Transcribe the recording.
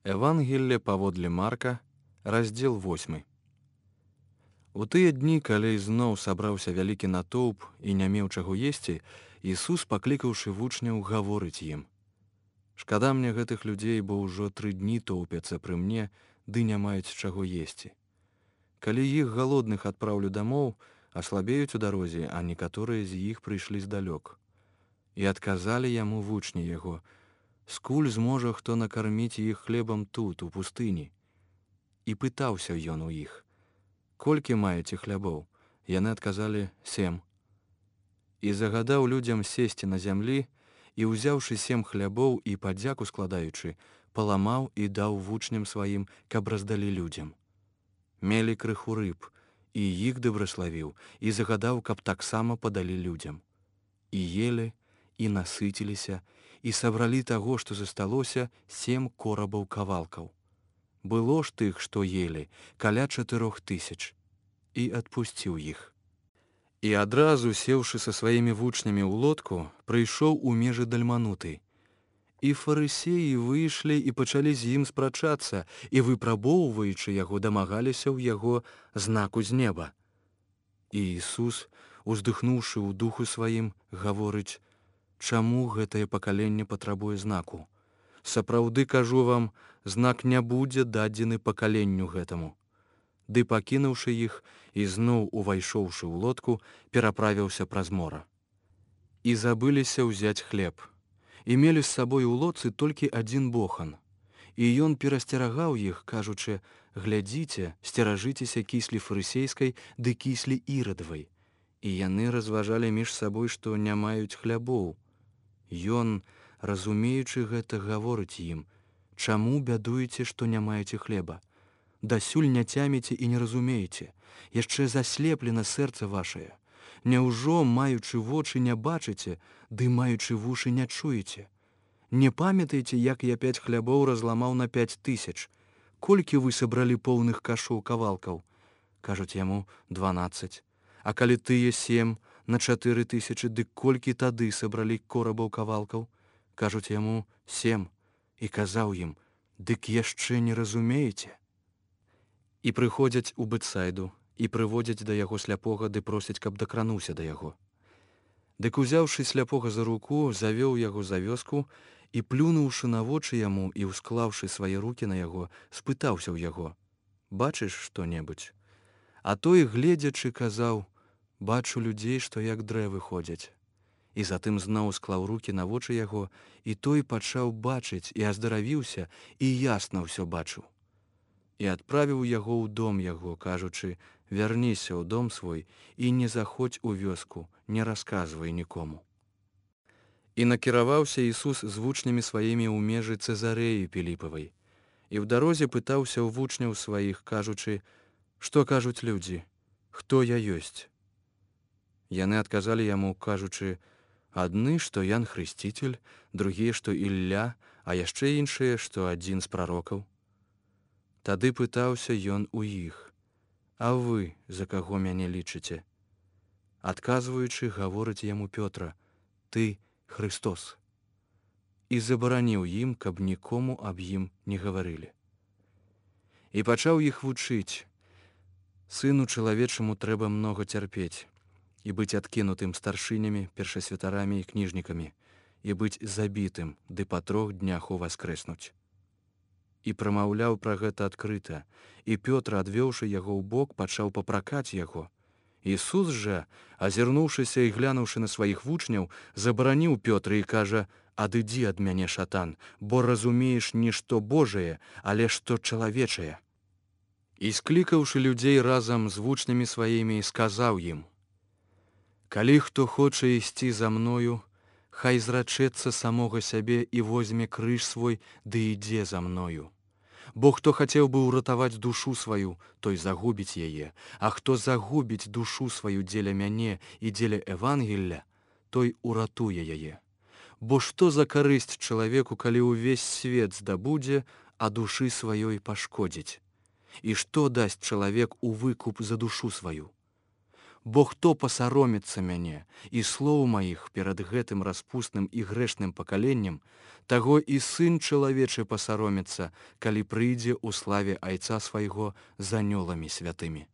Евангелле паводле Марка, раздзел 8. У тыя дні, калі зноў сабраўся вялікі натоўп і не меў чаго есці, Ісус, паклікаўшы вучняў, гаворыць ім: «Шкада мне гэтых людзей, бо ўжо 3 дні тоўпяцца пры мне, ды не маюць чаго есці. Калі іх галодных адпраўлю дамоў, аслабеюць у дарозе, а некаторыя з іх прыйшлі здалёк». І адказалі яму вучні яго: «Скуль зможа хто накарміць іх хлебам тут, у пустыні?» І пытаўся ён у іх: «Колькі маеце хлябоў?» Яны адказалі: 7. І загадаў людзям сесці на зямлі, і, узяўшы 7 хлябоў і падзяку складаючы, паламаў і даў вучням сваім, каб раздалі людзям. Мелі крыху рыб, і іх дабраславіў, і загадаў, каб таксама падалі людзям. І елі, і насыціліся, і сабралі таго, што засталося, 7 корабаў кавалкаў. Было ж тых, што елі, каля 4000, і адпусціў іх. І адразу, сеўшы са сваімі вучнямі ў лодку, прыйшоў у межы Дальмануты. І фарысеі выйшлі і пачалі з ім спрачацца, і, выпрабоўваючы яго, дамагаліся ў яго знаку з неба. І Ісус, уздыхнуўшы ў духу сваім, гаворыць: «Чаму гэтае пакаленне патрабуе знаку? Сапраўды кажу вам, знак не будзе дадзены пакаленню гэтаму». Ды, пакінуўшы іх і зноў увайшоўшы ў лодку, пераправіўся праз мора. І забыліся ўзяць хлеб. І мелі з сабой у лодцы толькі 1 бохан. І ён перасцерагаў іх, кажучы: «Глядзіце, сцеражыцеся кіслі фарысейскай ды кіслі ірадавай». І яны разважалі між сабой, што не маюць хлябоў. Ён, разумеючы гэта, гаворыць ім: «Чаму бядуеце, што не маеце хлеба? Дасюль не цяміце і не разумееце, яшчэ заслеплена сэрца вашае. Няўжо, маючы вочы, не бачыце, ды маючы вушы не чуеце? Не памятаеце, як я 5 хлябоў разламаў на 5000? Колькі вы сабралі поўных кашоў кавалкаў?» Кажуць яму: 12. «А калі тыя 7 на 4000, дык колькі тады сабралі корабаў кавалкаў?» Кажуць яму: 7. І казаў ім: «Дык яшчэ не разумееце?» І прыходзяць у Бэцайду, і прыводзяць да яго сляпога, ды просяць, каб дакрануўся да яго. Дык, узяўшы сляпога за руку, завёў яго за вёску, і, плюнуўшы на вочы яму і ўсклаўшы свае рукі на яго, спытаўся ў яго: «Бачыш што-небудзь?» А той, гледзячы, казаў: «Бачу людзей, што як дрэвы ходзяць». І затым зноў склаў рукі на вочы яго, і той пачаў бачыць і аздаравіўся, і ясна ўсё бачыў. І адправіў яго ў дом яго, кажучы: «Вярніся ў дом свой і не заходзь у вёску, не расказвай нікому». І накіраваўся Ісус з вучнямі сваімі ў межы Цэзарэі Піліпавай. І ў дарозе пытаўся ў вучняў сваіх, кажучы: «Што кажуць людзі? Хто я ёсць?» Яны адказалі яму, кажучы: «Адны, што Ян Хрысціцель, другія, што Ілля, а яшчэ іншыя, што адзін з прарокаў». Тады пытаўся ён у іх: «А вы за каго мяне лічыце?» Адказваючы, гаворыць яму Пётра: «Ты Хрыстос». І забараніў ім, каб нікому аб ім не гаварылі. І пачаў іх вучыць: «Сыну чалавечаму трэба многа цярпець, і быць адкінутым старшынямі, першасвятарамі і кніжнікамі, і быць забітым, ды па 3 днях уваскрэснуць». І прамаўляў пра гэта адкрыта, і Пётр, адвёўшы яго ў бок, пачаў папракаць яго. Ісус жа, азірнуўшыся і глянуўшы на сваіх вучняў, забараніў Пётра і кажа: «Адыдзі ад мяне, шатан, бо разумееш не што Божае, але што чалавечае». І, склікаўшы людзей разам з вучнямі сваімі, сказаў ім: «Калі хто хоча ісці за мною, хай зрачэцца самога сябе і возьме крыж свой, ды ідзе за мною. Бо хто хацеў бы ўратаваць душу сваю, той загубіць яе, а хто загубіць душу сваю дзеля мяне і дзеля Евангелля, той уратуе яе. Бо што за карысць чалавеку, калі ўвесь свет здабудзе, а душы сваёй пашкодзіць? І што дасць чалавек у выкуп за душу сваю? Бо хто пасароміцца мяне і слоў маіх перад гэтым распусным і грэшным пакаленнем, таго і сын чалавечы пасароміцца, калі прыйдзе ў славе Айца свайго з анёламі святымі.